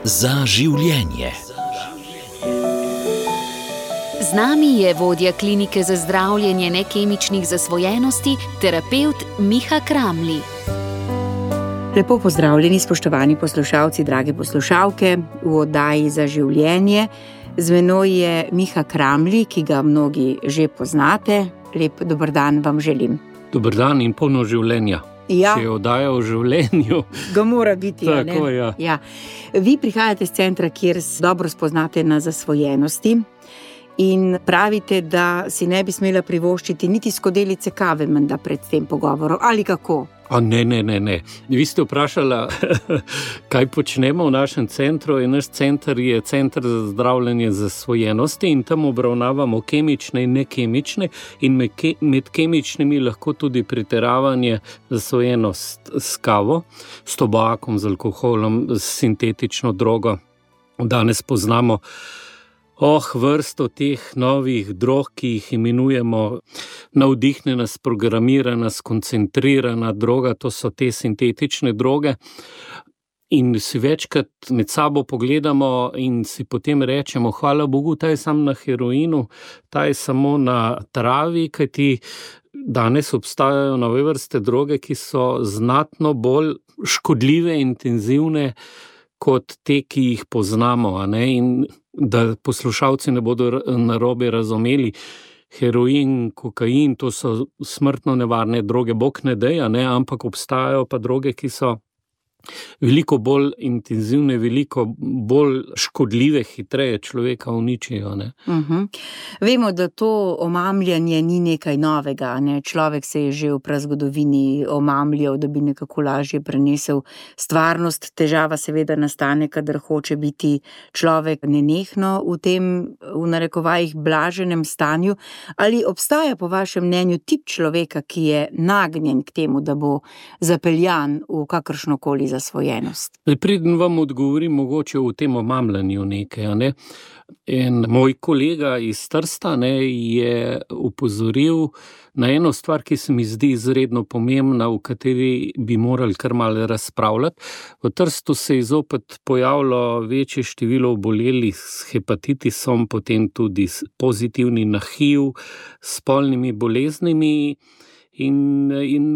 Za življenje. Z nami je vodja klinike za zdravljenje nekemičnih zasvojenosti, terapevt Miha Kramli. Lepo pozdravljeni, spoštovani poslušalci, drage poslušalke, v oddaji Za življenje. Z menoj je Miha Kramli, ki ga mnogi že poznate. Lep dober dan vam želim. Dober dan in polno življenja. Ja. Če je oddaja o življenju. Ga mora biti, tako, ne? ja. Ja. Vi prihajate z centra, kjer dobro spoznate na zasvojenosti in pravite, da si ne bi smela privoščiti niti skodelice kave menda pred tem pogovorom, ali kako? Ne. Vi ste vprašala, kaj počnemo v našem centru, in naš center je center za zdravljenje zasvojenosti in tam obravnavamo kemične in nekemične in med kemičnimi lahko tudi pretiravanje zasvojenost s kavo, s tobakom, z alkoholom, s sintetično drogo. Danes poznamo vrsto teh novih drog, ki jih imenujemo navdihnjena, sprogramirana, skoncentrirana droga, to so te sintetične droge. In si večkrat med sabo pogledamo in si potem rečemo, hvala Bogu, ta je samo na heroinu, ta je samo na travi, kajti danes obstajajo nove vrste droge, ki so znatno bolj škodljive, intenzivne kot te, ki jih poznamo, in da poslušalci ne bodo narobe razumeli, heroin, kokain, to so smrtno nevarne droge, Bog ne daj, ampak obstajajo pa droge, ki so veliko bolj intenzivne, veliko bolj škodljive, hitreje človeka uničijo. Vemo, da to omamljanje ni nekaj novega. Človek se je že v prazgodovini omamljal, da bi nekako lažje prenesel stvarnost. Težava seveda nastane, kadar hoče biti človek nenehno v tem, v narekovajih, blaženem stanju. Ali obstaja po vašem mnenju tip človeka, ki je nagnjen k temu, da bo zapeljan v kakršnokoli zasvojenost? Preden vam odgovorim mogoče v tem omamljanju nekaj, En moj kolega iz Trsta je opozoril na eno stvar, ki se mi zdi izredno pomembna, v kateri bi morali kar malo razpravljati. V Trstu se je zopet pojavilo večje število obolelih s hepatitisom, potem tudi pozitivni na HIV, s spolnimi boleznimi. In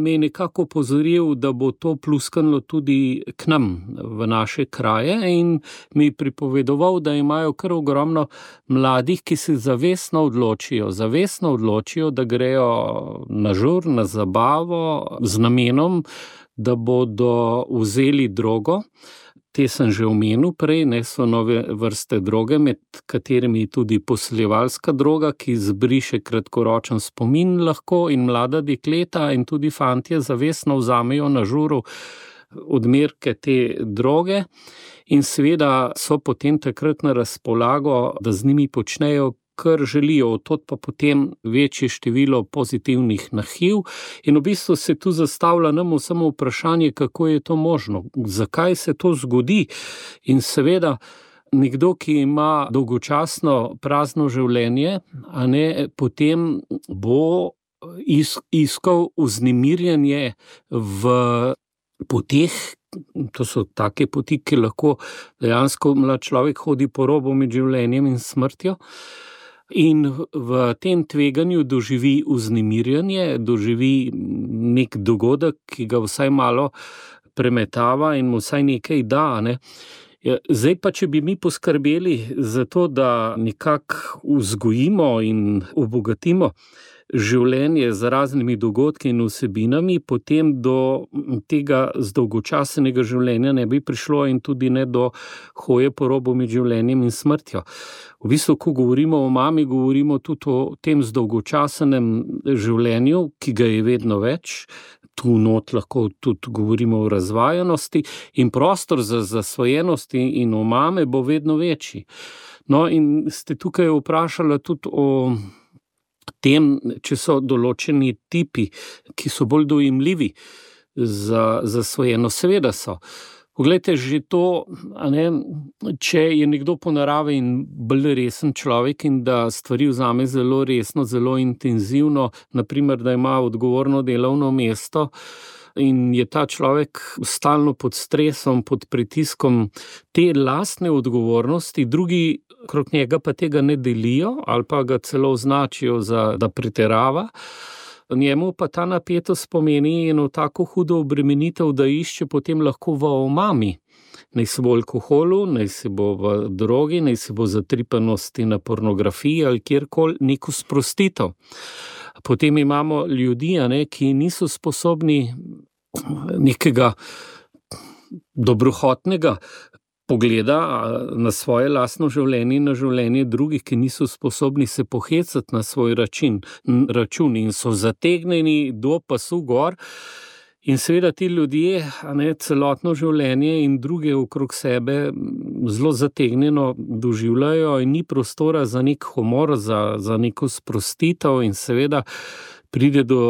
me je nekako opozoril, da bo to pluskalo tudi k nam v naše kraje, in mi pripovedoval, da imajo kar ogromno mladih, ki se zavestno odločijo, da grejo na žur, na zabavo z namenom, da bodo vzeli drogo. Te sem že omenil prej, so nove vrste droge, med katerimi tudi posiljevalska droga, ki zbriše kratkoročen spomin lahko, in mlada dekleta in tudi fantje zavestno vzamejo na žuru odmerke te droge in seveda so potem takrat na razpolago, da z njimi počnejo, kar želijo, od pa potem večje število pozitivnih na HIV. In v bistvu se tu zastavlja nam samo vprašanje, kako je to možno, zakaj se to zgodi. In seveda nekdo, ki ima dolgočasno prazno življenje, potem bo iskal vznemirjanje v poteh. To so take poti, ki lahko dejansko mlad človek hodi po robu med življenjem in smrtjo. In v tem tveganju doživi vznemirjanje, doživi nek dogodek, ki ga vsaj malo premetava in mu vsaj nekaj da. Zdaj pa, če bi mi poskrbeli za to, da nekako vzgojimo in obogatimo življenje z raznimi dogodki in vsebinami, potem do tega zdolgočasenega življenja ne bi prišlo in tudi ne do hoje po robu med življenjem in smrtjo. V bistvu, ko govorimo o mami, govorimo tudi o tem zdolgočasenem življenju, ki ga je vedno več. Tu not lahko tudi govorimo o razvajanosti in prostor za zasvojenosti in o mame bo vedno večji. In ste tukaj vprašali tudi o tem, če so določeni tipi, ki so bolj dojemljivi za zasvojenost. Seveda so. Poglejte, že to, če je nekdo po naravi in bolj resen človek in da stvari vzame zelo resno, zelo intenzivno, naprimer, da ima odgovorno delovno mesto, in je ta človek stalno pod stresom, pod pritiskom te lastne odgovornosti, drugi okrog njega pa tega ne delijo ali pa ga celo označijo da pretirava. Njemu pa ta napetost pomeni eno tako hudo obremenitev, da išče potem lahko v omami. Naj se bo v alkoholu, naj se bo v drogi, naj se bo zatripanosti na pornografiji ali kjerkoli neko sprostitev. Potem imamo ljudi, ki niso sposobni nekega dobrohotnega pogleda na svoje lastno življenje in na življenje drugih, ki niso sposobni se pohecati na svoj račun in so zategnjeni do pasu gor. In seveda ti ljudje celotno življenje in druge okrog sebe zelo zategnjeno doživljajo in ni prostora za nek humor, za neko sprostitev in seveda pride do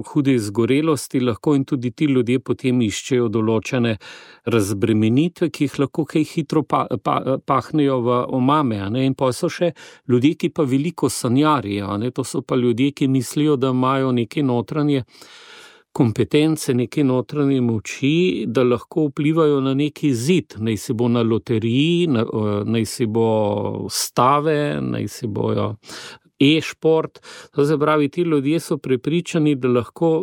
hude izgorelosti, lahko in tudi ti ljudje potem iščejo določene razbremenitve, ki jih lahko kaj hitro pahnejo v omame. In pa so še ljudje, ki pa veliko sanjarijo. To so pa ljudje, ki mislijo, da imajo neke notranje kompetence, neke notranje moči, da lahko vplivajo na neki zid, naj se bo na loteriji, naj se bo stave, naj se bojo e-šport. To se pravi, ti ljudje so prepričani, da lahko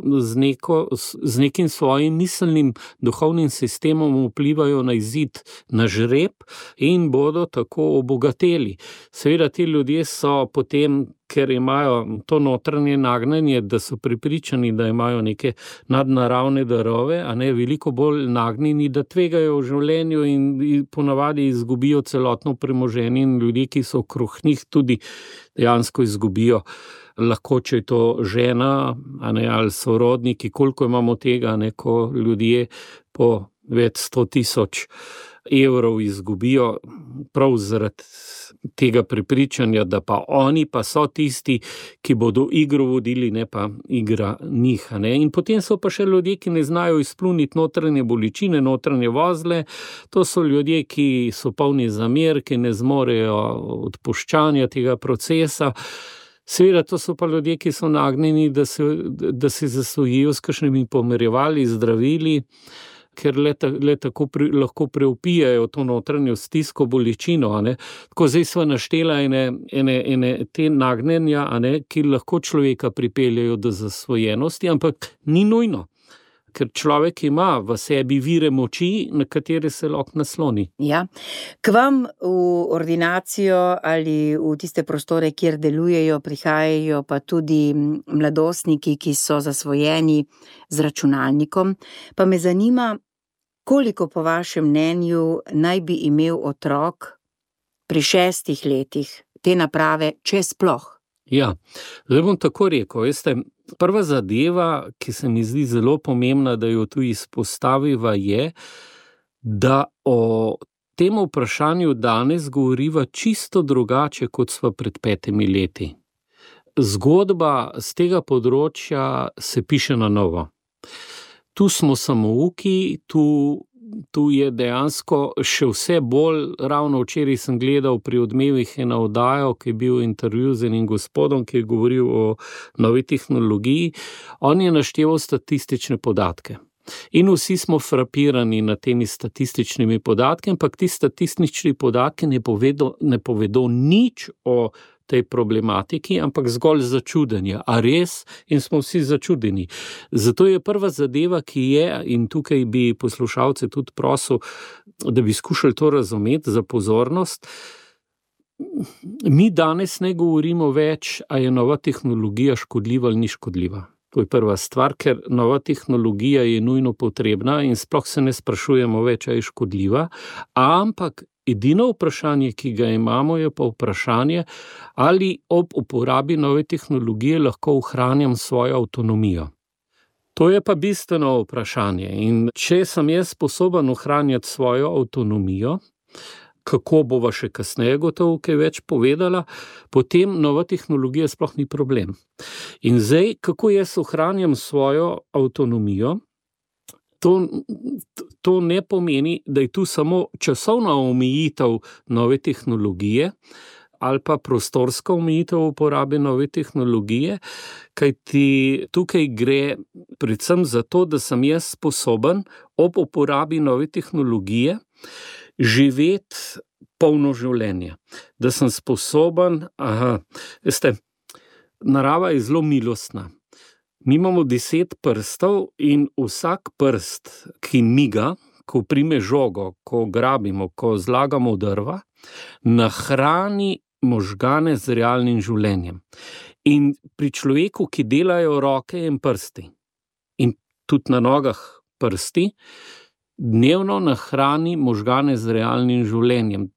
z nekim svojim miselnim duhovnim sistemom vplivajo na izid, na žreb in bodo tako obogateli. Seveda ti ljudje so potem, ker imajo to notranje nagnjenje, da so prepričani, da imajo neke nadnaravne darove, veliko bolj nagnjeni, da tvegajo v življenju in ponavadi izgubijo celotno premoženje in ljudje, ki so okrog njih, tudi dejansko izgubijo. Lahko, če je to žena, ali sorodniki, koliko imamo tega, ko ljudje po več 100,000 evrov izgubijo prav zaradi tega prepričanja, da pa oni pa so tisti, ki bodo igro vodili, ne pa igra njih. In potem so pa še ljudje, ki ne znajo izpluniti notranje bolečine, notranje vozle. To so ljudje, ki so polni zamer, ki ne zmorejo odpuščanja tega procesa. Seveda, to so pa ljudje, ki so nagnjeni, da se zasvojijo s kakšnimi pomirjevali, zdravili, ker le tako lahko preupijajo to notranjo stisko, bolečino. Tako zdaj sva naštela ene te nagnjenja, ki lahko človeka pripeljajo do zasvojenosti, ampak ni nujno, ker človek ima v sebi vire moči, na katere se lahko nasloni. Ja. K vam v ordinacijo ali v tiste prostore, kjer delujejo, prihajajo pa tudi mladostniki, ki so zasvojeni z računalnikom. Pa me zanima, koliko po vašem mnenju naj bi imel otrok pri 6 letih te naprave, če sploh? Ja, zdaj bom tako rekel, veste, prva zadeva, ki se mi zdi zelo pomembna, da jo tu izpostaviva, je, da o tem vprašanju danes govoriva čisto drugače, kot sva pred 5 leti. Zgodba z tega področja se piše na novo. Tu smo samouki, tu je dejansko še vse bolj, ravno včeraj sem gledal pri Odmevih eno oddajo, ki je bil intervju z enim gospodom, ki je govoril o novi tehnologiji. On je našteval statistične podatke. In vsi smo frapirani nad temi statističnimi podatki, ampak ti statistični podatki ne povedo nič o tej problematiki, ampak zgolj začudenje. A res? In smo vsi začudeni. Zato je prva zadeva, ki je, in tukaj bi poslušalce tudi prosil, da bi skušali to razumeti za pozornost. Mi danes ne govorimo več, a je nova tehnologija škodljiva ali ni škodljiva. To je prva stvar, ker nova tehnologija je nujno potrebna in sploh se ne sprašujemo več, a je škodljiva, ampak edino vprašanje, ki ga imamo, je pa vprašanje, ali ob uporabi nove tehnologije lahko ohranjam svojo avtonomijo. To je pa bistveno vprašanje. In če sem jaz sposoben ohranjati svojo avtonomijo, kako bova še kasneje gotovo kaj več povedala, potem nova tehnologija sploh ni problem. In zdaj, kako jaz ohranjam svojo avtonomijo, to ne pomeni, da je tu samo časovna omejitev nove tehnologije, ali pa prostorska omejitev uporabe nove tehnologije, kajti tukaj gre predvsem za to, da sem jaz sposoben ob uporabi nove tehnologije živeti polno življenje. Da sem sposoben, veste, narava je zelo milostna. Mi imamo 10 prstov in vsak prst, ki miga, ko prime žogo, ko grabimo, ko zlagamo drva, nahrani možgane z realnim življenjem. In pri človeku, ki delajo roke in prsti, in tudi na nogah prsti, dnevno nahrani možgane z realnim življenjem.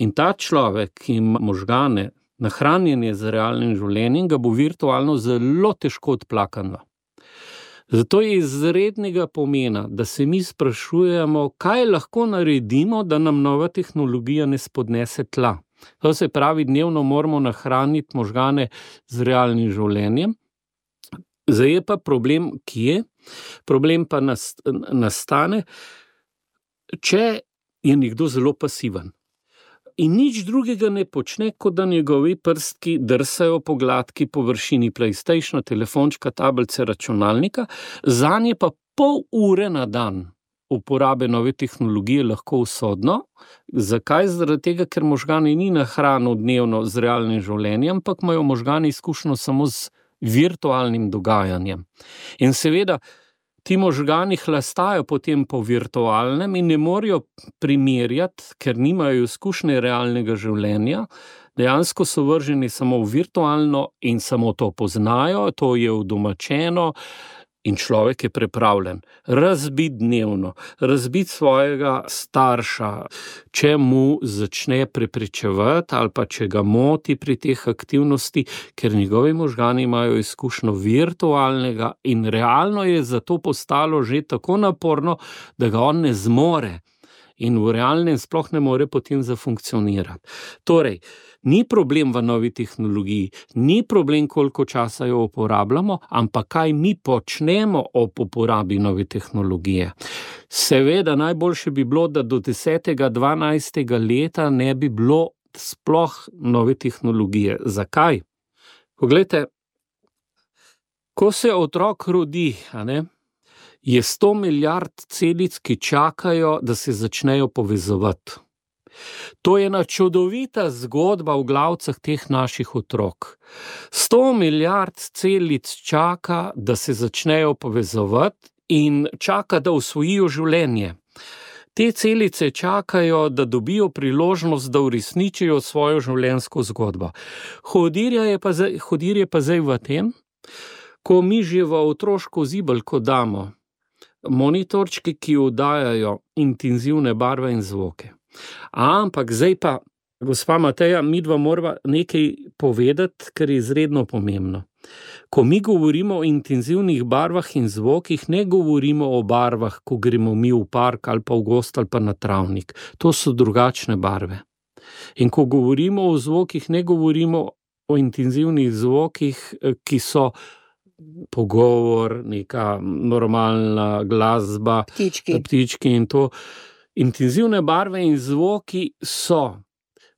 In ta človek, ki ima možgane nahranjenje z realnim življenjem, ga bo virtualno zelo težko odplakano. Zato je izrednega pomena, da se mi sprašujemo, kaj lahko naredimo, da nam nova tehnologija ne spodnese tla. To se pravi, dnevno moramo nahraniti možgane z realnim življenjem. Zdaj je pa problem, kje? Problem pa nastane, če je nekdo zelo pasiven. In nič drugega ne počne, kot da njegovi prstki drsajo po gladki površini PlayStationa, telefončka, tablice, računalnika, zanje pa pol ure na dan uporabe nove tehnologije lahko usodno. Zakaj? Zaradi tega, ker možgani ni nahranil dnevno z realnim življenjem, ampak imajo možgani izkušnjo samo z virtualnim dogajanjem. In seveda, ti možgani hlastajo potem po virtualnem in ne morejo primerjati, ker nimajo izkušnje realnega življenja, dejansko so vrženi samo v virtualno in samo to poznajo, to je udomačeno in človek je pripravljen razbiti dnevno, razbiti svojega starša, če mu začne prepričevati ali pa če ga moti pri teh aktivnosti, ker njegovi možgani imajo izkušnjo virtualnega in realno je zato postalo že tako naporno, da ga on ne zmore in v realnem sploh ne more potem zafunkcionirati. Torej, ni problem v novi tehnologiji, ni problem, koliko časa jo uporabljamo, ampak kaj mi počnemo ob uporabi nove tehnologije. Seveda, najboljše bi bilo, da do 10. 12. leta ne bi bilo sploh nove tehnologije. Zakaj? Poglejte, ko se otrok rodi, je 100 milijard celic, ki čakajo, da se začnejo povezovati. To je ena čudovita zgodba v glavcah teh naših otrok. 100 milijard celic čaka, da se začnejo povezovati in čaka, da osvojijo življenje. Te celice čakajo, da dobijo priložnost, da uresničijo svojo življenjsko zgodbo. Hudir je pa zdaj v tem, ko mi že v otroško zibelko damo monitorčki, ki oddajajo intenzivne barve in zvoke. Ampak zdaj pa, gospa Mateja, midva morava nekaj povedati, kar je izredno pomembno. Ko mi govorimo o intenzivnih barvah in zvokih, ne govorimo o barvah, ko gremo mi v park ali pa v gozd ali pa na travnik. To so drugačne barve. In ko govorimo o zvokih, ne govorimo o intenzivnih zvokih, ki so pogovor, neka normalna glasba, ptički in to. Intenzivne barve in zvoki so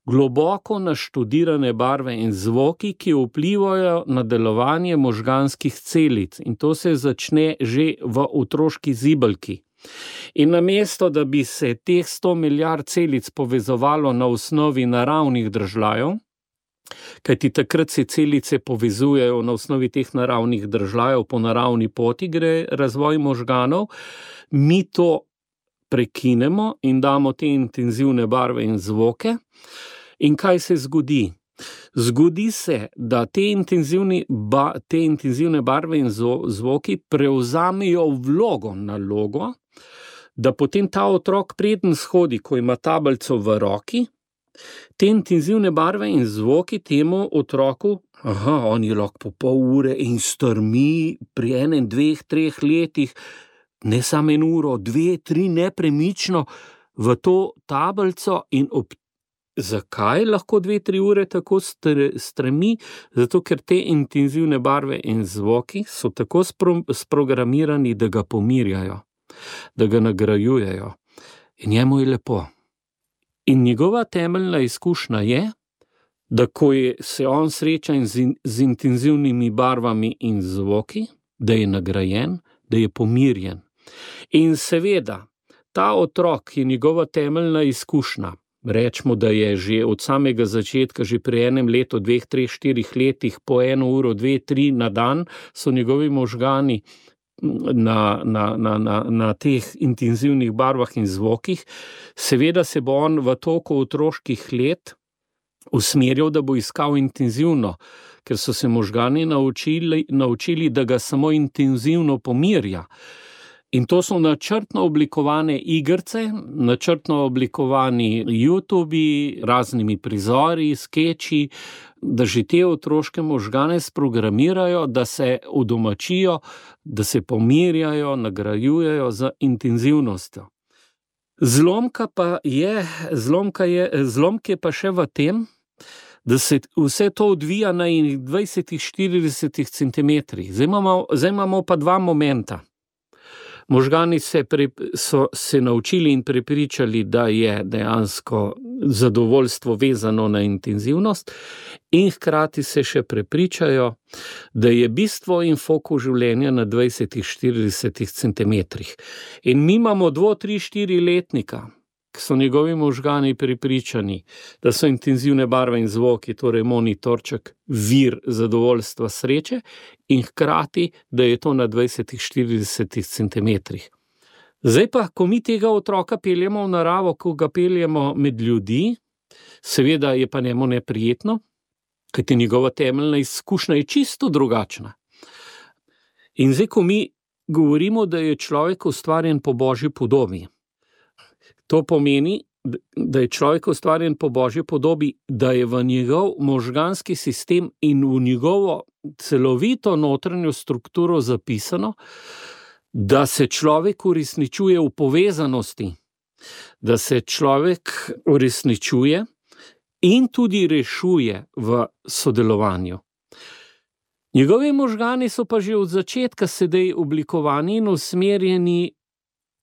globoko naštudirane barve in zvoki, ki vplivajo na delovanje možganskih celic. In to se začne že v otroški zibelki. In namesto, da bi se teh 100 milijard celic povezovalo na osnovi naravnih držljajev, kajti takrat se celice povezujejo na osnovi teh naravnih držljajev, po naravni poti gre razvoj možganov, mi to prekinemo in damo te intenzivne barve in zvoke. In kaj se zgodi? Zgodi se, da te intenzivne barve in zvoki prevzamejo nalogo, da potem ta otrok preden shodi, ko ima tablico v roki, te intenzivne barve in zvoki temu otroku, on je lahko po pol ure in strmi pri 1, 2, 3 letih, ne samo 1 uro, 2, 3 nepremično v to tablico in zakaj lahko 2, 3 ure tako stremi? Zato, ker te intenzivne barve in zvoki so tako sprogramirani, da ga pomirjajo, da ga nagrajujejo. In njemu je lepo. In njegova temeljna izkušnja je, da ko se on sreča z intenzivnimi barvami in zvoki, da je nagrajen, da je pomirjen. In seveda, ta otrok je njegova temeljna izkušnja. Rečemo, da je že od samega začetka, že pri enem letu, 2, 3, 4 letih, po 1 uro, 2, 3 na dan, so njegovi možgani na teh intenzivnih barvah in zvokih. Seveda se bo on v toku otroških let usmerjal, da bo iskal intenzivno, ker so se možgani naučili, da ga samo intenzivno pomirja. In to so načrtno oblikovane igrice, načrtno oblikovani YouTubi, raznimi prizori, skeči, da že te otroške možgane sprogramirajo, da se udomačijo, da se pomirjajo, nagrajujejo z intenzivnostjo. Zlomk je pa še v tem, da se vse to odvija na 20-40 centimetrih. Zdaj imamo pa 2 momenta. Možgani so se naučili in prepričali, da je dejansko zadovoljstvo vezano na intenzivnost, in hkrati se še prepričajo, da je bistvo in fokus življenja na 20-40 centimetrih. In mi imamo 2, 3, 4 letnika, ki so njegovi možgani prepričani, da so intenzivne barve in zvoki, torej monitorček, vir zadovoljstva, sreče, in hkrati, da je to na 20-40 centimetrih. Zdaj pa, ko mi tega otroka peljemo v naravo, ko ga peljemo med ljudi, seveda je pa njemu neprijetno, kajti njegova temeljna izkušnja je čisto drugačna. In zdaj, ko mi govorimo, da je človek ustvarjen po Božji podobi, to pomeni, da je človek ustvarjen po Božji podobi, da je v njegov možganski sistem in v njegovo celovito notranjo strukturo zapisano, da se človek uresničuje v povezanosti, da se človek uresničuje in tudi rešuje v sodelovanju. Njegovi možgani so pa že od začetka sedaj oblikovani in usmerjeni,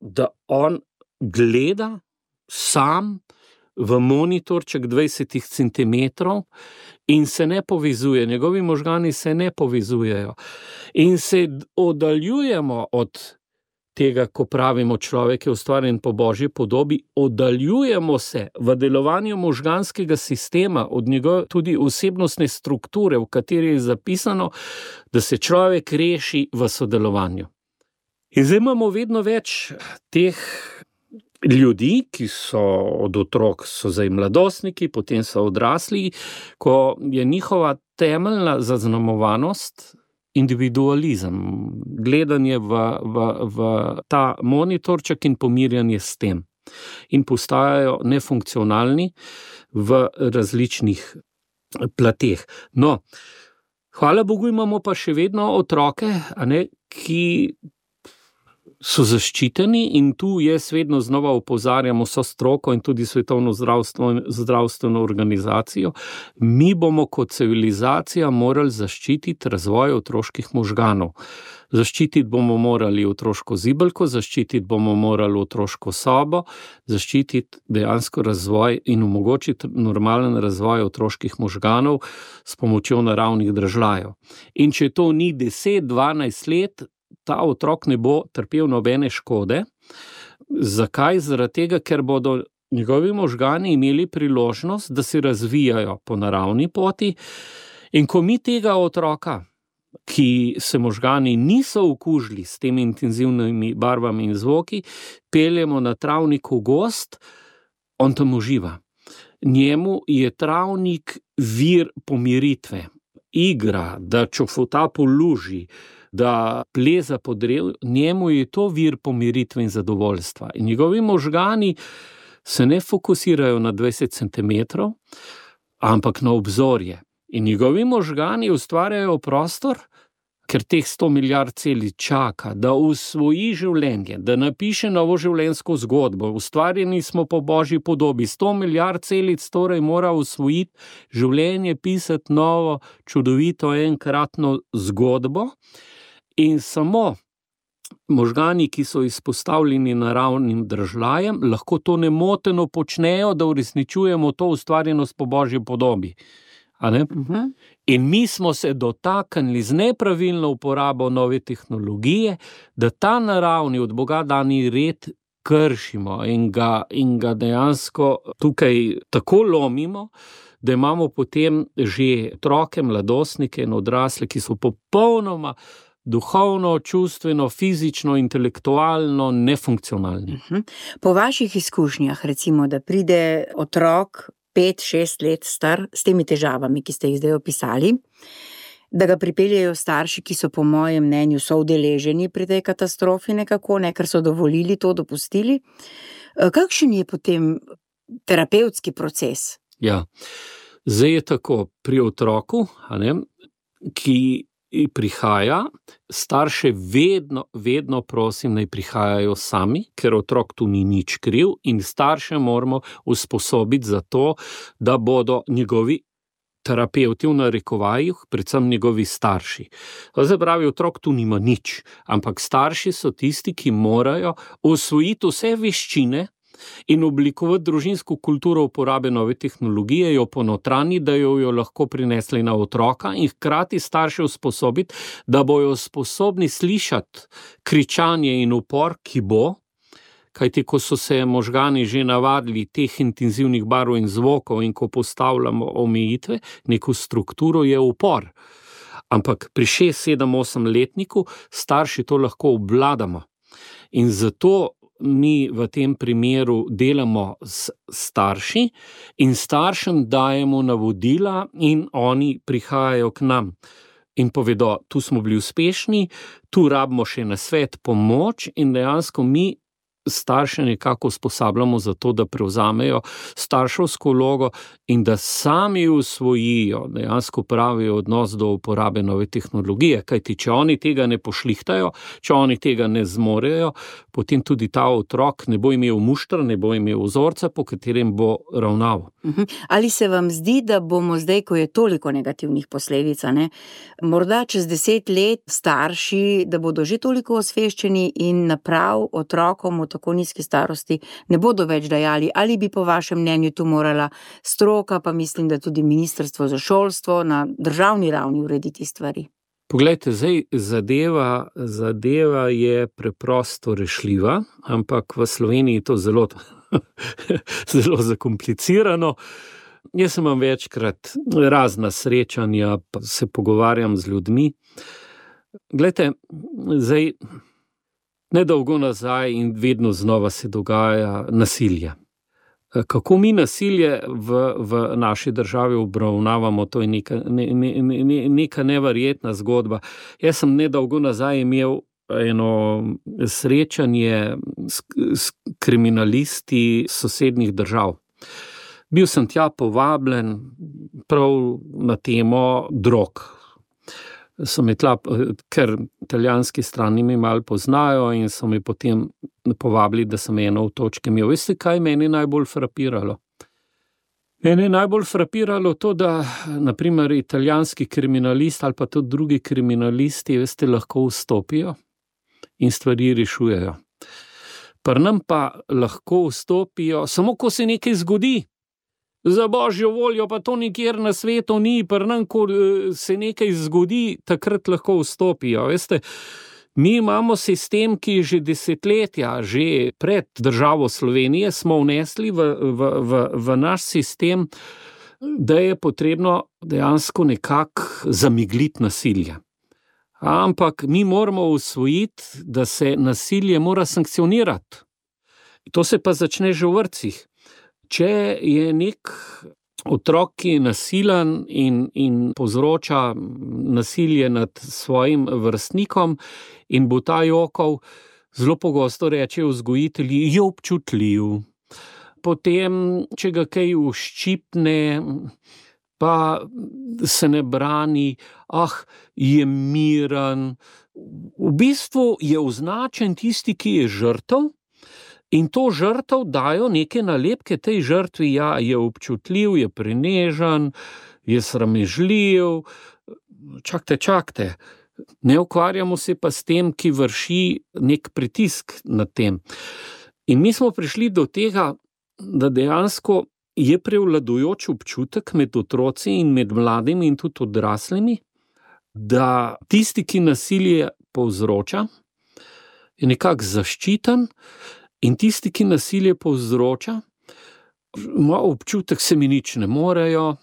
da on gleda sam v monitorček 20 centimetrov in se ne povezuje. Njegovi možgani se ne povezujejo. In se oddaljujemo od tega, ko pravimo, človek je ustvarjen po Božji podobi, oddaljujemo se v delovanju možganskega sistema od njegove tudi osebnostne strukture, v kateri je zapisano, da se človek reši v sodelovanju. In zdaj imamo vedno več teh ljudi, ki so od otrok, so zdaj mladostniki, potem so odrasli, ko je njihova temeljna zaznamovanost individualizem, gledanje v ta monitorček in pomirjanje s tem. In postajajo nefunkcionalni v različnih plateh. No, hvala Bogu imamo pa še vedno otroke, ki so zaščiteni, in tu jaz vedno znova opozarjam vso stroko in tudi Svetovno zdravstveno organizacijo. Mi bomo kot civilizacija morali zaščititi razvoj otroških možganov. Zaščititi bomo morali otroško zibelko, zaščititi bomo morali otroško sobo, zaščititi dejansko razvoj in omogočiti normalen razvoj otroških možganov s pomočjo naravnih dražljajev. In če to ni 10-12 let, ta otrok ne bo trpel nobene škode. Zakaj? Zaradi tega, ker bodo njegovi možgani imeli priložnost, da se razvijajo po naravni poti. In ko mi tega otroka, ki se možgani niso okužili s temi intenzivnimi barvami in zvoki, peljemo na travnik v gozd, on tam uživa. Njemu je travnik vir pomiritve. Igra, da čofota po luži, da pleza po drevu, njemu je to vir pomiritve in zadovoljstva. In njegovi možgani se ne fokusirajo na 20 centimetrov, ampak na obzorje. In njegovi možgani ustvarjajo prostor, ker teh 100 milijard celic čaka, da usvoji življenje, da napiše novo življenjsko zgodbo. Ustvarjeni smo po Božji podobi. 100 milijard celic torej mora usvojiti življenje, pisati novo, čudovito, enkratno zgodbo. In samo možgani, ki so izpostavljeni naravnim dražljajem, lahko to nemoteno počnejo, da uresničujemo to ustvarjenost po Božji podobi. a ne? In mi smo se dotaknili z nepravilno uporabo nove tehnologije, da ta naravni od Boga dani red kršimo in ga dejansko tukaj tako lomimo, da imamo potem že otroke, mladostnike in odrasle, ki so popolnoma duhovno, čustveno, fizično, intelektualno nefunkcionalni. Po vaših izkušnjah, recimo, da pride otrok 5-6 let star s temi težavami, ki ste jih zdaj opisali, da ga pripeljejo starši, ki so po mojem mnenju soudeleženi pri tej katastrofi nekako, ker so dovolili to, dopustili. Kakšen je potem terapevtski proces? Ja, zdaj je tako, pri otroku, ki prihaja, starše vedno prosim, naj prihajajo sami, ker otrok tu ni nič kriv in starše moramo usposobiti za to, da bodo njegovi terapevti v narekovajih, predvsem njegovi starši. To se pravi, otrok tu nima nič, ampak starši so tisti, ki morajo osvojiti vse veščine in oblikovati družinsko kulturo uporabe nove tehnologije, jo ponotranji, da jo lahko prinesli na otroka in hkrati starše usposobiti, da bojo sposobni slišati kričanje in upor, ki bo, kajti ko so se možgani že navadili teh intenzivnih barv in zvokov in ko postavljamo omejitve, neko strukturo je upor. Ampak pri 6, 7, 8 letniku starši to lahko obvladamo. In zato mi v tem primeru delamo s starši in staršem dajemo navodila in oni prihajajo k nam in povedo, tu smo bili uspešni, tu rabimo še nasvet, pomoč in dejansko mi starše nekako usposabljamo za to, da prevzamejo starševsko vlogo in da sami usvojijo dejansko pravi odnos do uporabe nove tehnologije, kajti če oni tega ne pošlihtajo, če oni tega ne zmorejo, potem tudi ta otrok ne bo imel muštra, ne bo imel vzorca, po katerem bo ravnal. Ali se vam zdi, da bomo zdaj, ko je toliko negativnih posledic, morda čez 10 let starši, da bodo že toliko osveščeni in naprav otrokom v tako nizki starosti ne bodo več dajali, ali bi po vašem mnenju tu morala stroka, pa mislim, da tudi Ministrstvo za šolstvo na državni ravni urediti stvari? Poglejte, zdaj zadeva je preprosto rešljiva, ampak v Sloveniji je to zelo zakomplicirano. Jaz imam večkrat razna srečanja, pa se pogovarjam z ljudmi. Glejte, zdaj nedolgo nazaj in vedno znova se dogaja nasilje. Kako mi nasilje v naši državi obravnavamo, to je neka neverjetna zgodba. Jaz sem nedolgo nazaj imel eno srečanje s kriminalisti sosednjih držav. Bil sem tja povabljen prav na temo drog. So me tla, ker italijanski strani me malo poznajo in so me potem povabili, da sem eno v točki imel. Veste, kaj meni najbolj frapiralo? Meni je najbolj frapiralo to, da naprimer italijanski kriminalist ali pa tudi drugi kriminalisti, veste, lahko vstopijo in stvari rešujejo. Pri nam pa lahko vstopijo samo, ko se nekaj zgodi. Za božjo voljo pa to nikjer na svetu ni, pri nam, ko se nekaj zgodi, takrat lahko vstopijo. Veste, mi imamo sistem, ki že desetletja, že pred državo Slovenije smo vnesli v naš sistem, da je potrebno dejansko nekako zamigliti nasilje. Ampak mi moramo usvojiti, da se nasilje mora sankcionirati. To se pa začne že v vrtcih. Če je nek otrok, ki je nasilen in povzroča nasilje nad svojim vrstnikom in bo ta jokal, zelo pogosto rečejo vzgojitelji, je občutljiv. Potem, če ga kaj uščipne, pa se ne brani, je miren. V bistvu je označen tisti, ki je žrtev, in to žrtev dajo neke nalepke tej žrtvi, ja, je občutljiv, je prenežen, je sramežljiv. Čakajte. Ne ukvarjamo se pa s tem, ki vrši nek pritisk nad tem. In mi smo prišli do tega, da dejansko je prevladujoč občutek med otroci in med mladimi in tudi odraslimi, da tisti, ki nasilje povzroča, je nekako zaščiten, in tisti, ki nasilje povzroča, ima občutek, se mi nič ne morejo,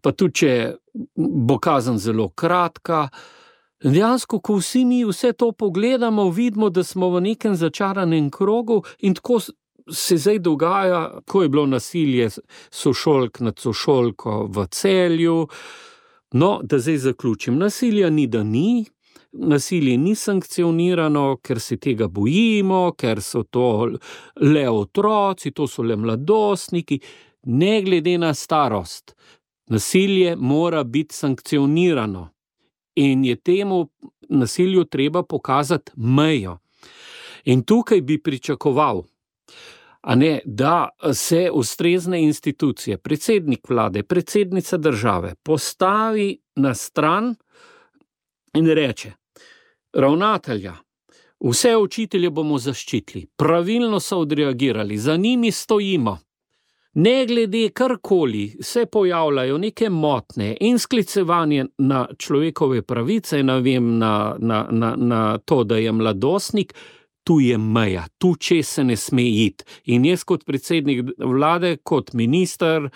pa tudi, če bo kazen zelo kratka. Dejansko, ko vsi mi vse to pogledamo, vidimo, da smo v nekem začaranem krogu in tako se zdaj dogaja, ko je bilo nasilje sošolk nad sošolko v Celju. No, da zdaj zaključim. Nasilja ni, da ni. Nasilje ni sankcionirano, ker se tega bojimo, ker so to le otroci, to so le mladostniki. Ne glede na starost. Nasilje mora biti sankcionirano. In je temu nasilju treba pokazati mejo. In tukaj bi pričakoval, da se ustrezne institucije, predsednik vlade, predsednica države postavi na stran in reče: ravnatelja, vse učitelje bomo zaščitili, pravilno so odreagirali, za njimi stojimo. Ne glede karkoli se pojavljajo neke motnje in sklicevanje na človekove pravice, na to, da je mladostnik, tu je meja, tu čez se ne sme iti. In jaz kot predsednik vlade, kot minister,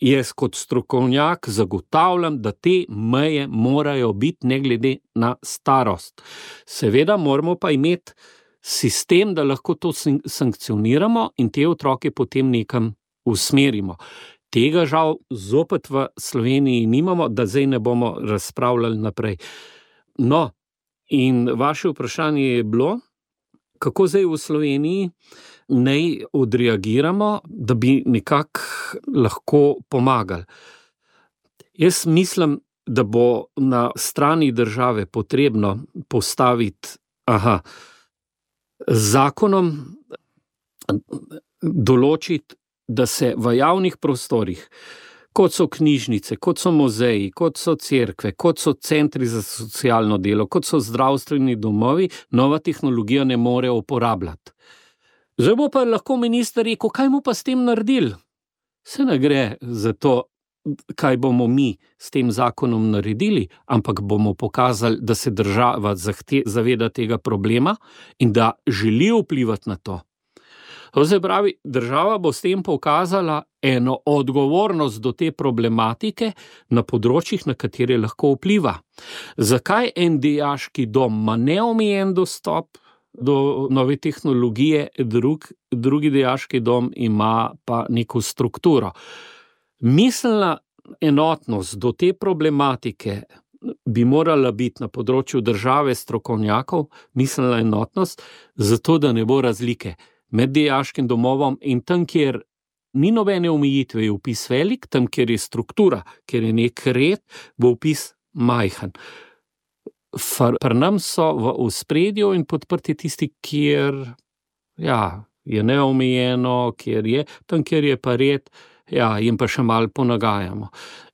jaz kot strokovnjak zagotavljam, da te meje morajo biti ne glede na starost. Seveda moramo pa imeti sistem, da lahko to sankcioniramo in te otroke potem nekam usmerimo. Tega žal zopet v Sloveniji nimamo, da zdaj ne bomo razpravljali naprej. No, in vaše vprašanje je bilo, kako zdaj v Sloveniji naj odreagiramo, da bi nekako lahko pomagali. Jaz mislim, da bo na strani države potrebno postaviti zakonom določiti, da se v javnih prostorih, kot so knjižnice, kot so muzeji, kot so cerkve, kot so centri za socialno delo, kot so zdravstveni domovi, nova tehnologija ne more uporabljati. Zdaj bo pa lahko minister rekel, kaj mu pa s tem naredili? Se ne gre za to, kaj bomo mi s tem zakonom naredili, ampak bomo pokazali, da se država zaveda tega problema in da želi vplivati na to. To se pravi, država bo s tem pokazala eno odgovornost do te problematike na področjih, na katere lahko vpliva. Zakaj en dijaški dom ima neomejen dostop do nove tehnologije, drugi dijaški dom ima pa neko strukturo? Miselna enotnost do te problematike bi morala biti na področju države strokovnjakov, miselna enotnost, zato da ne bo razlike med dijaškim domovom in tam, kjer ni nobene omejitve, je vpis velik, tam, kjer je struktura, kjer je nek red, bo vpis majhen. Pri nam so v ospredju in podprti tisti, kjer je neomejeno, tam, kjer je pa red, jim pa še malo ponagajamo.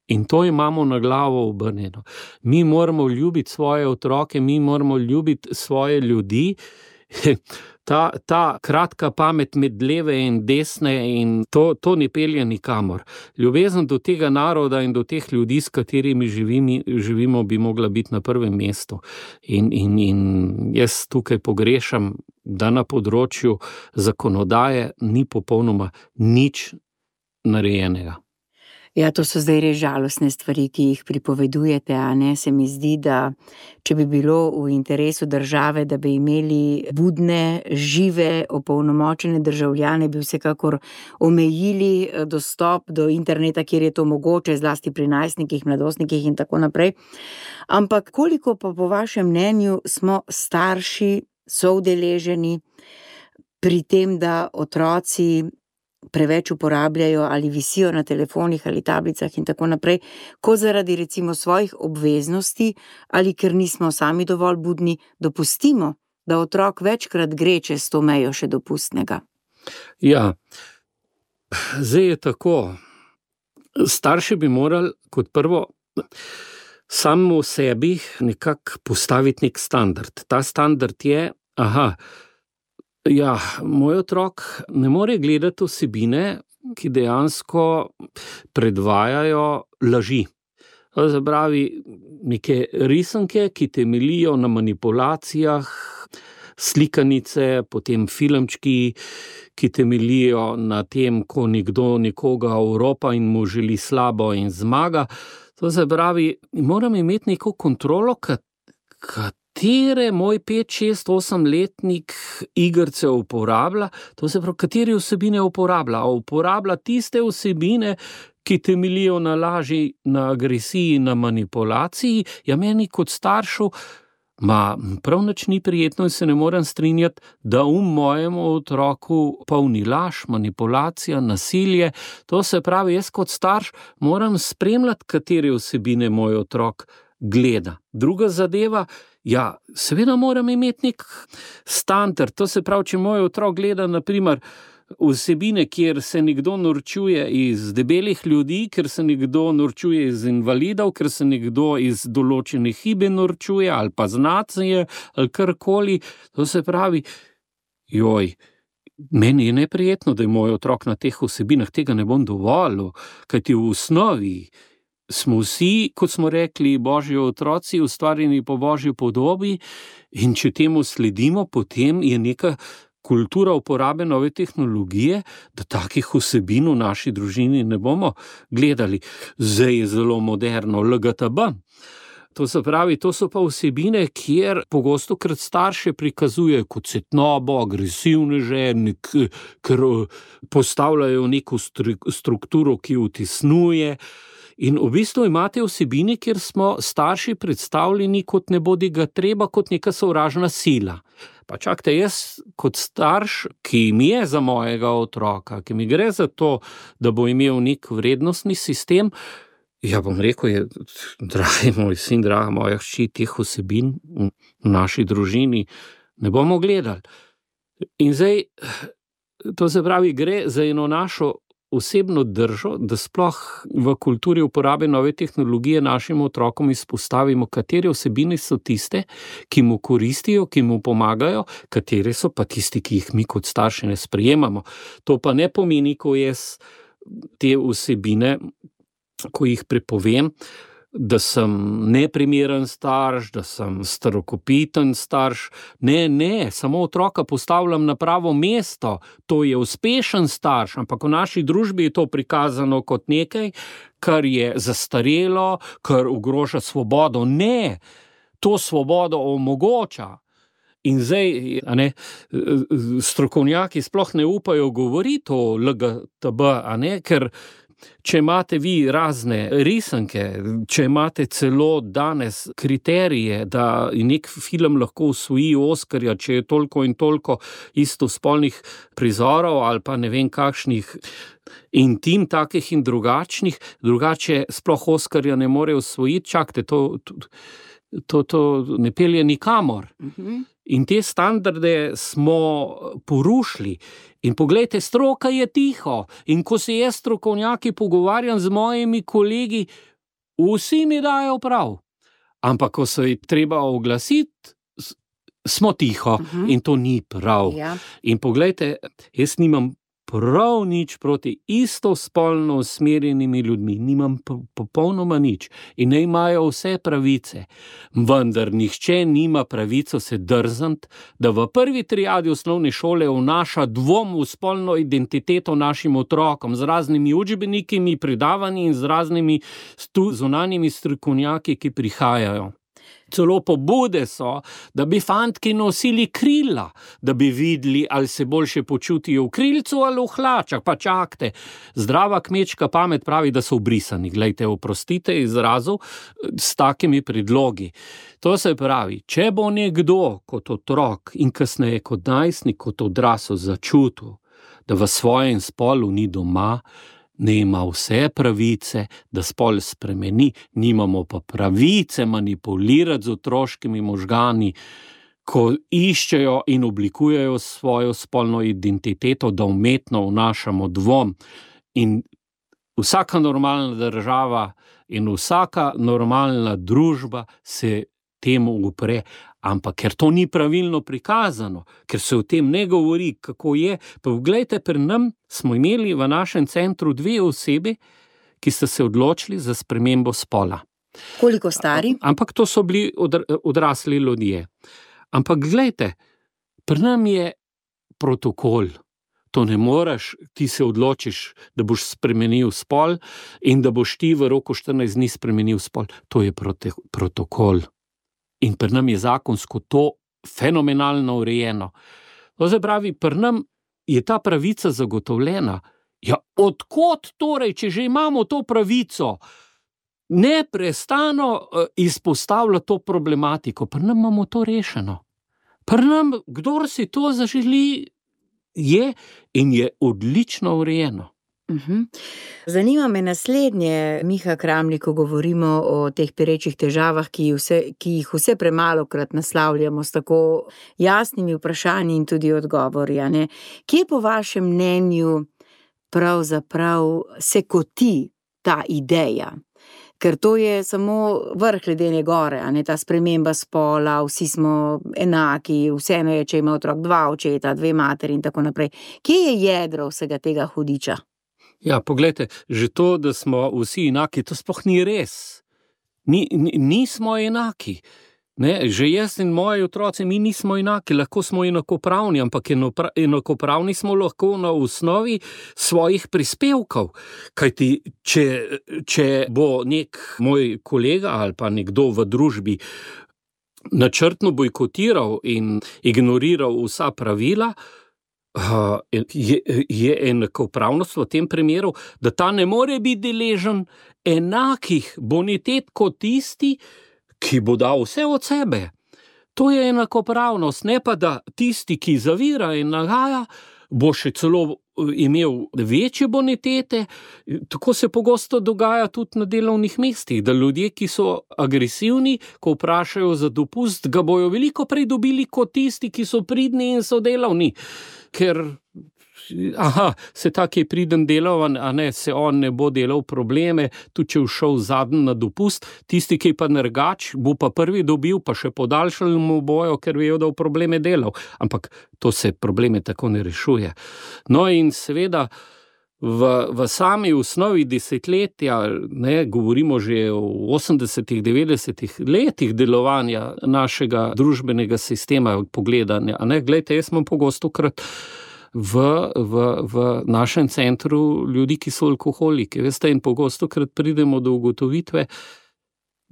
In to imamo na glavo obrnjeno. Mi moramo ljubiti svoje otroke, mi moramo ljubiti svoje ljudi. Ta kratka pamet med leve in desne in to ne pelje nikamor. Ljubezen do tega naroda in do teh ljudi, s katerimi živimo, bi mogla biti na prvem mestu. In jaz tukaj pogrešam, da na področju zakonodaje ni popolnoma nič narejenega. Ja, to so zdaj res žalostne stvari, ki jih pripovedujete, a ne? Se mi zdi, da če bi bilo v interesu države, da bi imeli budne, žive, opolnomočene državljane, bi vsekakor omejili dostop do interneta, kjer je to mogoče, zlasti pri najstnikih, mladostnikih in tako naprej. Ampak koliko pa po vašem mnenju smo starši soudeleženi pri tem, da otroci preveč uporabljajo ali visijo na telefonih ali tablicah in tako naprej, ko zaradi recimo svojih obveznosti ali ker nismo sami dovolj budni, dopustimo, da otrok večkrat gre čez to mejo še dopustnega. Ja, zdaj je tako. Starši bi morali kot prvo samo v sebi nekako postaviti nek standard. Ta standard je, moj otrok ne more gledati vsebine, ki dejansko predvajajo laži. To se pravi, neke risanke, ki temeljijo na manipulacijah, slikanice, potem filmčki, ki temeljijo na tem, ko nekdo nekoga oropa in mu želi slabo in zmaga. To se pravi, moram imeti neko kontrolo, katere moj 5, 6, 8-letnik igrice uporablja, to se pravi, katere vsebine uporablja. Uporablja tiste vsebine, ki temeljijo na laži, na agresiji, na manipulaciji. Ja, meni kot staršu prav nič ni prijetno in se ne morem strinjati, da mojemu otroku polni laž, manipulacija, nasilje. To se pravi, jaz kot starš moram spremljati, katere vsebine moj otrok gleda. Druga zadeva, ja, seveda moram imeti nek standard. To se pravi, če moj otrok gleda, na primer, vsebine, kjer se nekdo norčuje iz debelih ljudi, ker se nekdo norčuje iz invalidov, ker se nekdo iz določene hibe norčuje, ali pa z nacije, ali karkoli. To se pravi, meni je neprijetno, da je moj otrok na teh vsebinah, tega ne bom dovolil, kajti v osnovi smo vsi, kot smo rekli, Božji otroci, ustvarjeni po Božji podobi, in če temu sledimo, potem je neka kultura uporabe nove tehnologije, da takih vsebin v naši družini ne bomo gledali. Zdaj je zelo moderno LGTB. To se pravi, to so pa vsebine, kjer pogosto krat starše prikazujejo kot cvetnobo, agresivneže, ker postavljajo neko strukturo, ki utisnjuje. In v bistvu imate vsebine, kjer smo starši predstavljeni kot nebodigatreba, kot neka sovražna sila. Pa čakajte, jaz kot starš, ki mi je za mojega otroka, ki mi gre za to, da bo imel nek vrednostni sistem, ja bom rekel, dragi moj sin, draga moja hči, teh vsebin v naši družini ne bomo gledali. In zdaj, to se pravi, gre za eno našo osebno držo, da sploh v kulturi uporabe nove tehnologije našim otrokom izpostavimo, katere vsebine so tiste, ki mu koristijo, ki mu pomagajo, katere so pa tisti, ki jih mi kot starši ne sprejemamo. To pa ne pomeni, ko jaz te vsebine, ko jih prepovem, da sem neprimeren starš, da sem starokopiten starš. Ne, samo otroka postavljam na pravo mesto, to je uspešen starš, ampak v naši družbi je to prikazano kot nekaj, kar je zastarelo, kar ogroža svobodo. Ne, to svobodo omogoča. In zdaj, strokovnjaki sploh ne upajo govoriti o LGTB, ker če imate vi razne risanke, če imate celo danes kriterije, da nek film lahko osvoji Oskarja, če je toliko in toliko istospolnih prizorov ali pa ne vem kakšnih intim takih in drugačnih, drugače sploh Oskarja ne more osvojiti, čakajte, to ne pelje nikamor. In te standarde smo porušili. In poglejte, stroka je tiho. In ko se jaz strokovnjaki pogovarjam z mojimi kolegi, vsi mi dajo prav. Ampak ko se je treba oglasiti, smo tiho. In to ni prav. Ja. In poglejte, jaz nimam prav nič proti istospolno usmerjenimi ljudmi, nimam popolnoma nič in ne imajo vse pravice, vendar nihče nima pravico se drzniti, da v prvi triadi osnovne šole vnaša dvom v spolno identiteto našim otrokom z raznimi učbenikami, predavanji in z raznimi zunanjimi strokovnjaki, ki prihajajo. Celo pobude so, da bi fantki nosili krila, da bi videli, ali se boljše počutijo v krilcu ali v hlačah. Pa čakajte, zdrava kmečka pamet pravi, da so ubrisani. Glejte, oprostite izrazu s takimi predlogi. To se pravi, če bo nekdo kot otrok in kasneje kot najstnik, kot odrasel začutil, da v svojem spolu ni doma, ne ima vse pravice, da spol spremeni, nimamo pa pravice manipulirati z otroškimi možgani, ko iščejo in oblikujejo svojo spolno identiteto, da umetno vnašamo dvom. In vsaka normalna država in vsaka normalna družba se temu upre. ampak ker to ni pravilno prikazano, ker se o tem ne govori, kako je. Pa vglejte, pri nam smo imeli v našem centru 2 osebi, ki sta se odločili za spremembo spola. Koliko stari? Ampak to so bili odrasli ljudje. Ampak glejte, pri nam je protokol. To ne moreš, ti se odločiš, da boš spremenil spol in da boš ti v roku 14 dni spremenil spol. To je protokol. In pri nam je zakonsko to fenomenalno urejeno. To se pravi, pri nam je ta pravica zagotovljena. Ja, odkot torej, če že imamo to pravico, neprestano izpostavlja to problematiko? Pri nam imamo to rešeno. Pri nam, kdor si to zaželi, je in je odlično urejeno. Zanima me naslednje, Miha Kramli, ko govorimo o teh perečih težavah, ki jih vse premalokrat naslavljamo s tako jasnimi vprašanji in tudi odgovori. Kje po vašem mnenju pravzaprav se koti ta ideja? Ker to je samo vrh ledene gore, ta sprememba spola, vsi smo enaki, vseeno je, če ima otrok 2 očeta, 2 materi in tako naprej. Kje je jedro vsega tega hudiča? Ja, poglejte, že to, da smo vsi enaki, to sploh ni res. Nismo enaki. Ne, že jaz in moji otroci, mi nismo enaki, lahko smo enakopravni, ampak enakopravni smo lahko na osnovi svojih prispevkov. Kajti, če bo nek moj kolega ali pa nekdo v družbi načrtno bojkotiral in ignoriral vsa pravila, je enakopravnost v tem primeru, da ta ne more biti deležen enakih bonitet kot tisti, ki bo dal vse od sebe. To je enakopravnost, ne pa da tisti, ki zavira in nagaja, bo še celo imel večje bonitete. Tako se pogosto dogaja tudi na delovnih mestih, da ljudje, ki so agresivni, ko vprašajo za dopust, ga bojo veliko prej dobili kot tisti, ki so pridni in so delavni. Ker se tak je priden delovan, se on ne bo delal probleme, tudi če všel zadnji na dopust, tisti, ki je pa nergač, bo pa prvi dobil, pa še podaljšali mu bojo, ker vejo, da v probleme delal. Ampak to se probleme tako ne rešuje. No in seveda v sami osnovi desetletja, govorimo že o 80-ih, 90-ih letih delovanja našega družbenega sistema pogledanja. Glejte, jaz imam pogostokrat v našem centru ljudi, ki so alkoholiki. Veste, in pogostokrat pridemo do ugotovitve,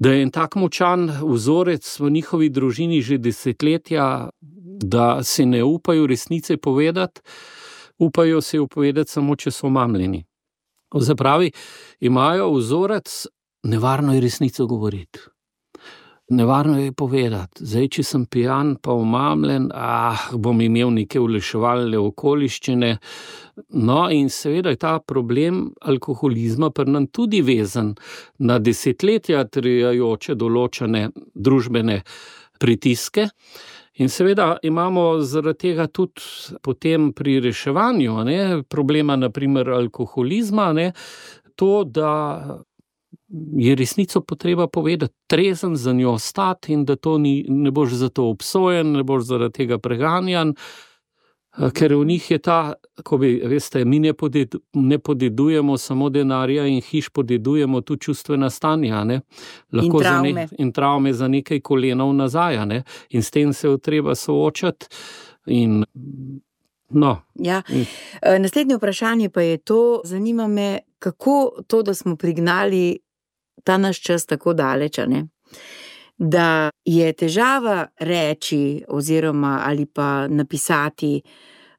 da je en tak močan vzorec v njihovi družini že desetletja, da se ne upajo resnice povedati, upajo se jo povedati samo, če so omamljeni. Zapravi, imajo vzorec, nevarno je resnico govoriti. Nevarno je povedati, zdaj, če sem pijan pa omamljen, bom imel neke olajševalne okoliščine. No in seveda je ta problem alkoholizma pri nam tudi vezan na desetletja trajajoče določene družbene pritiske. In seveda imamo zaradi tega tudi potem pri reševanju problema, naprimer alkoholizma, to, da je resnico potreba povedati, trezen za njo stati in da to ne boš za to obsojen, ne boš zaradi tega preganjan, ker v njih je ta, veste, mi ne podedujemo samo denarja in hiš, podedujemo tudi čustvena stanja, Lahko in travme za nekaj kolenov nazaj, in s tem se treba soočati in Ja. Naslednje vprašanje pa je to, zanima me, kako to, da smo prignali ta naš čas tako daleč, da je težava reči oziroma ali pa napisati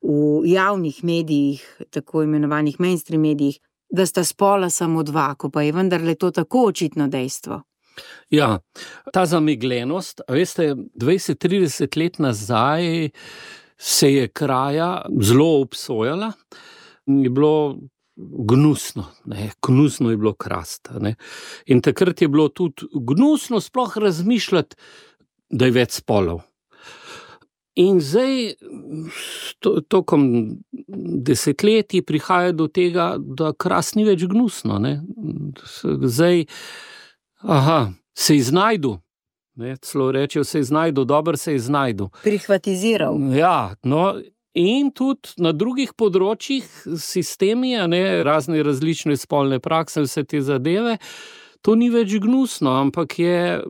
v javnih medijih, tako imenovanih mainstream medijih, da sta spola samo 2, ko pa je vendarle to tako očitno dejstvo. Ja, ta zamegljenost, veste, 20-30 let nazaj se je kraja zelo obsojala, je bilo gnusno, gnusno je bilo krasti. In takrat je bilo tudi gnusno sploh razmišljati, da je več spolov. In zdaj, tokom desetletij prihaja do tega, da krast ni več gnusno. Zdaj, se iznajdu. Ne? Celo reče, se je znajdu, dober se je znajdu. Prihvatiziral. Ja, no, in tudi na drugih področjih sistemi, razne različne spolne prakse, vse te zadeve, to ni več gnusno, ampak je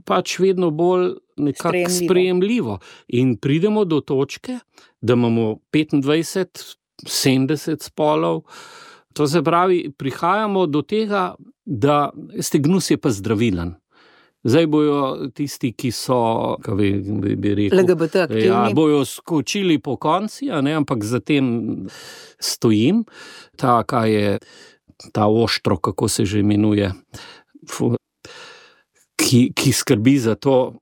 pač vedno bolj nekako sprejemljivo. In pridemo do točke, da imamo 25, 70 spolov. To se pravi, prihajamo do tega, da gnus je pa zdravilen. Zdaj bojo tisti, ki so, kaj bi rekel, LGBT aktivni. Bojo skočili po konci, ampak za tem stojim. Kaj je ta oštro, kako se že imenuje, ki skrbi za to,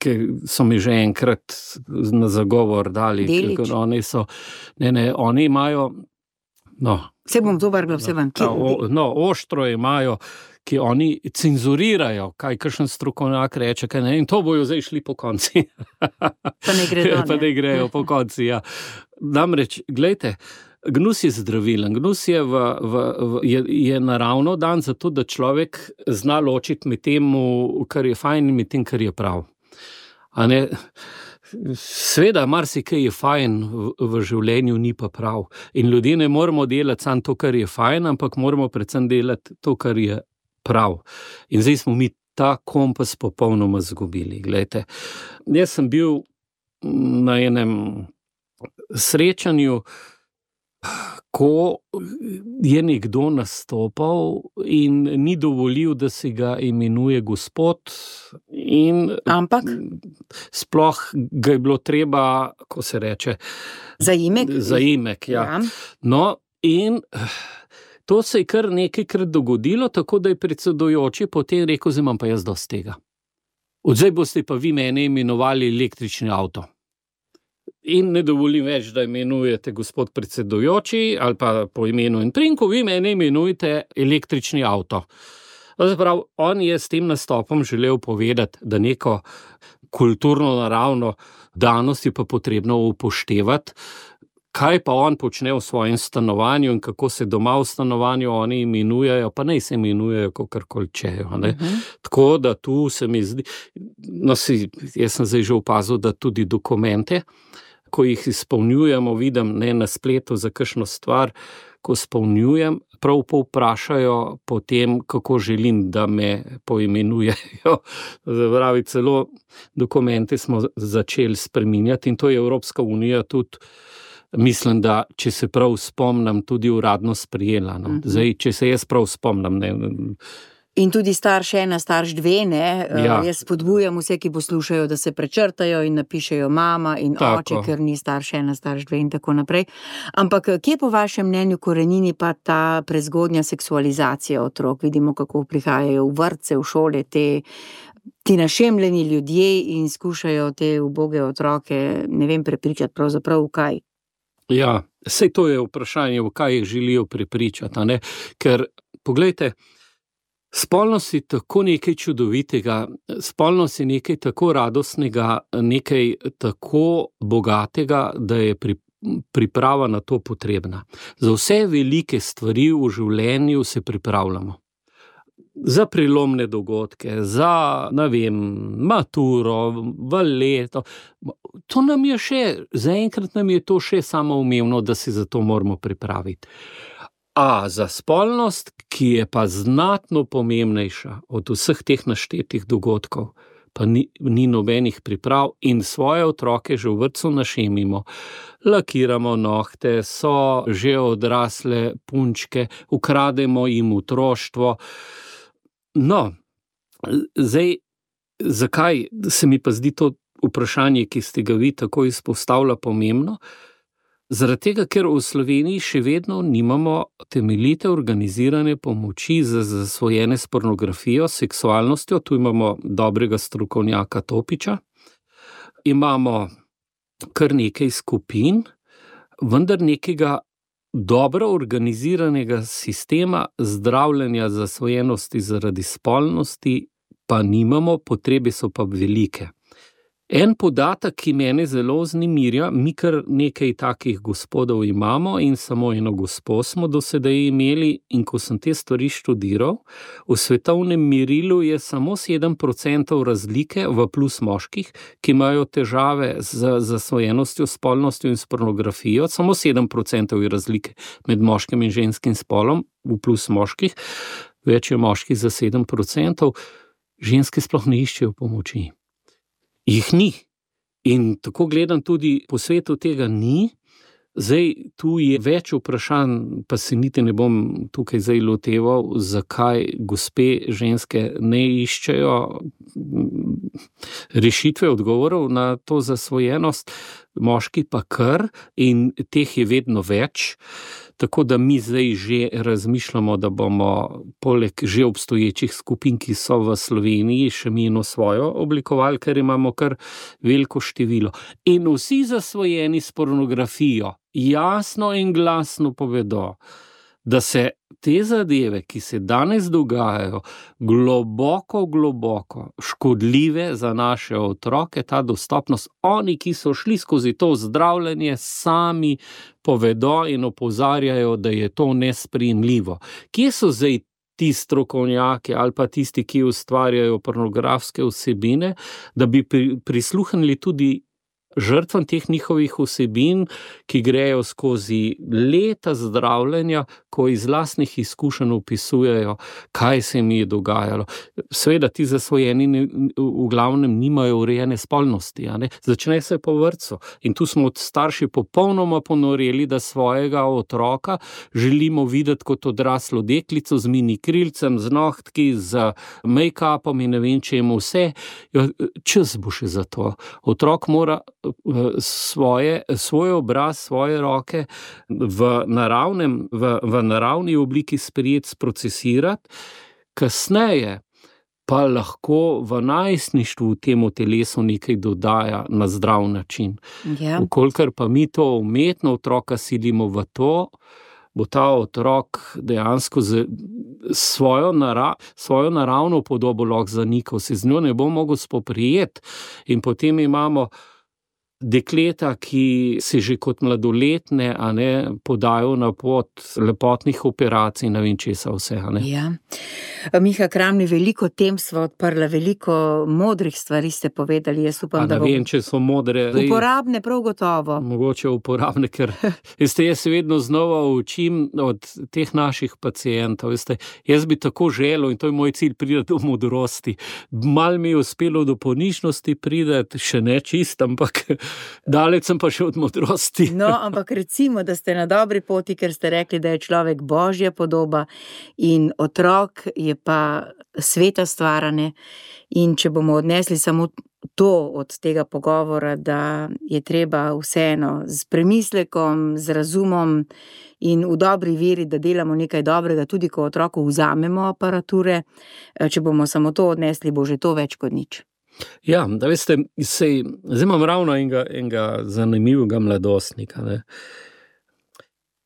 ker so mi že enkrat na zagovor dali. Delič. Oni imajo, Se bom to vrgla vse ven. Oštro imajo, ki oni cenzurirajo, kaj kakšen strokovnjak reče, in to bojo zdaj šli po konci. Pa ne gredo. Pa ne grejo po konci, ja. Namreč, glejte, gnus je zdravilen, gnus je naravno dan zato, da človek zna ločiti med tem, kar je fajn, in med tem, kar je prav. Sveda, marsikaj je fajn v življenju, ni pa prav. In ljudje ne moramo delati samo to, kar je fajn, ampak moramo predvsem delati to, kar je prav. In zdaj smo mi ta kompas popolnoma zgubili. Glejte, jaz sem bil na enem srečanju, ko je nekdo nastopal in ni dovolil, da si ga imenuje gospod, in ampak sploh ga je bilo treba, ko se reče, zaimek, ja. No, in to se je kar nekajkrat dogodilo, tako da je predsedujoči potem rekel, zdaj imam pa jaz dosti tega. Odzaj boste pa vi mene imenovali električni avto. In ne dovolim več, da imenujete gospod predsedujoči ali pa po imenu in priimku, vi mene imenujete električni avto. Zaprav, on je s tem nastopom želel povedati, da neko kulturno naravno danost je pa potrebno upoštevati, kaj pa on počne v svojem stanovanju in kako se doma v stanovanju oni imenujejo, pa naj se imenujejo kakorkoli čejo. Tako da tu se mi zdi, jaz sem zdaj že opazil, da tudi dokumente, ko jih izpolnjujemo, vidim na spletu za kakšno stvar, ko izpolnjujem, prav povprašajo potem, kako želim, da me poimenujejo. Pravi, celo dokumente smo začeli spreminjati in to je Evropska unija tudi, mislim, da, če se prav spomnim, tudi uradno sprijela. Zdaj, če se jaz prav spomnim, In tudi starš 1, starš 2, Ja. Jaz spodbujam vse, ki poslušajo, da se prečrtajo in napišejo mama in Tako. oče, ker ni starš 1, starš 2 in tako naprej. Ampak kje po vašem mnenju korenini pa ta prezgodnja seksualizacija otrok? Vidimo, kako prihajajo v vrtce, v šole ti našemljeni ljudje in skušajo te uboge otroke, ne vem, prepričati pravzaprav v kaj. Ja, saj to je vprašanje, v kaj jih želijo prepričati, ker, poglejte, spolnost je tako nekaj čudovitega, spolnost je nekaj tako radostnega, nekaj tako bogatega, da je priprava na to potrebna. Za vse velike stvari v življenju se pripravljamo. Za prelomne dogodke, za, maturo, v leto. To nam je zaenkrat nam je to še samoumevno, da se za to moramo pripraviti. A za spolnost, ki je pa znatno pomembnejša od vseh teh naštetih dogodkov, pa ni nobenih priprav in svoje otroke že v vrtcu našemimo, lakiramo nohte, so že odrasle punčke, ukrademo jim otroštvo. No, zdaj, zakaj se mi pa zdi to vprašanje, ki ste ga vi tako izpostavila, pomembno? Zaradi tega, ker v Sloveniji še vedno nimamo temeljite organizirane pomoči za zasvojene s pornografijo, seksualnostjo. Tu imamo dobrega strokovnjaka Topiča, imamo kar nekaj skupin, vendar nekega dobro organiziranega sistema zdravljenja zasvojenosti zaradi spolnosti pa nimamo, potrebe so pa velike. En podatek, ki mene zelo vznemirja, mi kar nekaj takih gospodov imamo in samo eno gospo smo do sedaj imeli, in ko sem te stvari študiral, v svetovnem merilu je samo 7% razlike v plus moških, ki imajo težave z zasvojenostjo, spolnostjo in s pornografijo, samo 7% je razlike med moškim in ženskim spolom v plus moških, več je moških za 7%, ženske sploh ne iščejo pomoči. Jih ni. In tako gledam tudi po svetu tega ni. Zdaj, tu je več vprašanj, pa se niti ne bom tukaj zdaj loteval, zakaj gospe ženske ne iščejo rešitve, odgovorov na to zasvojenost, moški pa kar, in teh je vedno več. Tako da mi zdaj že razmišljamo, da bomo poleg že obstoječih skupin, ki so v Sloveniji, še mi eno svojo oblikovali, ker imamo kar veliko število. In vsi zasvojeni s pornografijo jasno in glasno povedo, da se te zadeve, ki se danes dogajajo, globoko škodljive za naše otroke, ta dostopnost, oni, ki so šli skozi to zdravljenje, sami povedo in opozarjajo, da je to nesprejemljivo. Kje so zdaj ti strokovnjaki ali pa tisti, ki ustvarjajo pornografske vsebine, da bi prisluhnili tudi žrtvam teh njihovih vsebin, ki grejo skozi leta zdravljenja, ko iz lastnih izkušenj opisujejo, kaj se mi je dogajalo. Seveda ti zasvojeni v glavnem nimajo urejene spolnosti, a ne? Začne se po vrtcu. In tu smo od starši popolnoma ponoreli, da svojega otroka želimo videti kot odraslo deklico z mini krilcem, z nohtki, z make-upom in ne vem čemu vse. Čas bo še za to. Otrok mora svoj obraz, svoje roke v naravni obliki sprejeti, sprocesirati, kasneje pa lahko v najstništvu temu telesu nekaj dodaja na zdrav način. Ja. Vkolikor pa mi to umetno otroka silimo v to, bo ta otrok dejansko svojo naravno podobo lahko zanikal, se z njo ne bo mogel spoprijeti. In potem imamo dekleta, ki se že kot mladoletne, a ne, podajo na pot lepotnih operacij, ne vem česa vse, a ne. Ja. Miha Kramli, veliko tem sva odprla, veliko modrih stvari ste povedali, jaz upam, da bo... Ne vem, če so modre... Uporabne, prav gotovo. Mogoče uporabne, ker jaz se vedno znova učim od teh naših pacientov, jaz bi tako želel, in to je moj cilj, priti do modrosti. Mal mi je uspelo do ponižnosti priti, še ne čist, ampak daleč sem pa še od modrosti. No, ampak recimo, da ste na dobri poti, ker ste rekli, da je človek božja podoba in otrok je pa sveta stvarane, in če bomo odnesli samo to od tega pogovora, da je treba vseeno z premislekom, z razumom in v dobri veri, da delamo nekaj dobrega, tudi ko otroku vzamemo aparature, če bomo samo to odnesli, bo že to več kot nič. Ja, da veste, zdaj imam ravno enega zanimivega mladostnika. Ne.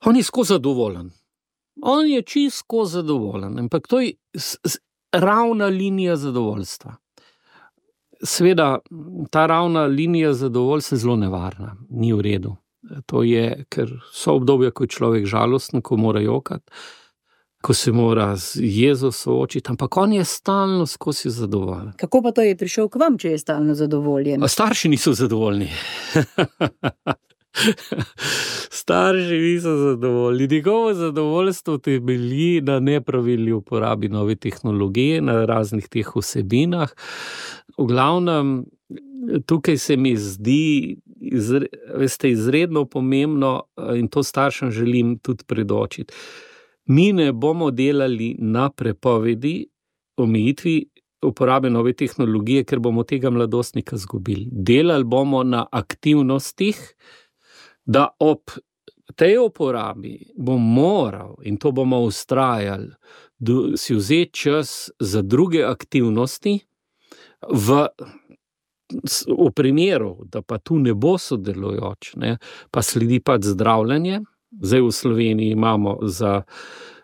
On je skozi zadovoljen. On je čisto zadovoljen, ampak to je ravna linija zadovoljstva. Seveda, ta ravna linija zadovoljstva je zelo nevarna, ni v redu. To je, ker so obdobja, ko je človek žalosten, ko mora jokati, ko se mora z jezo soočiti, ampak on je stalno skozi zadovoljen. Kako pa to je prišel k vam, če je stalno zadovoljen? Starši niso zadovoljni. Starši niso zadovoljni. Njegovo zadovoljstvo temelji na nepravilni uporabi nove tehnologije, na raznih teh vsebinah. V glavnem, tukaj se mi zdi izredno pomembno, in to staršem želim tudi predočiti. Mi ne bomo delali na prepovedi, omejitvi uporabe nove tehnologije, ker bomo tega mladostnika izgubili. Delali bomo na aktivnostih, da ob tej uporabi bom moral, in to bomo vztrajali, si vzeti čas za druge aktivnosti, v primeru, da pa tu ne bo sodelujoč, ne, pa sledi pa zdravljenje. Zdaj v Sloveniji imamo za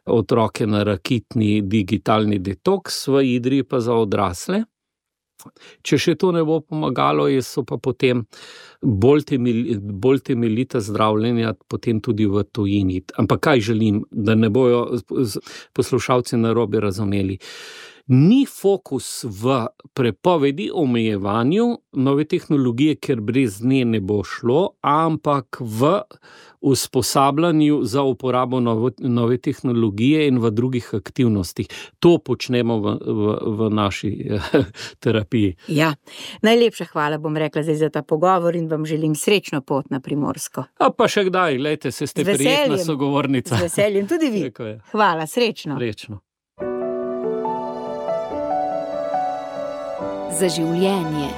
otroke na rakitni digitalni detoks, v Idriji pa za odrasle. Če še to ne bo pomagalo, so pa potem bolj temeljita zdravljenja potem tudi v tujini. Ampak kaj želim, da ne bojo poslušalci narobe razumeli? Ni fokus v prepovedi, omejevanju nove tehnologije, ker brez nje ne bo šlo, ampak v usposabljanju za uporabo nove tehnologije in v drugih aktivnostih. To počnemo v naši terapiji. Ja, najlepša hvala, bom rekla zdaj za ta pogovor in vam želim srečno pot na Primorsko. A pa še kdaj, lejte, ste prijetna sogovornica. Z veseljem, tudi vi. Hvala, srečno. Srečno. Za življenje.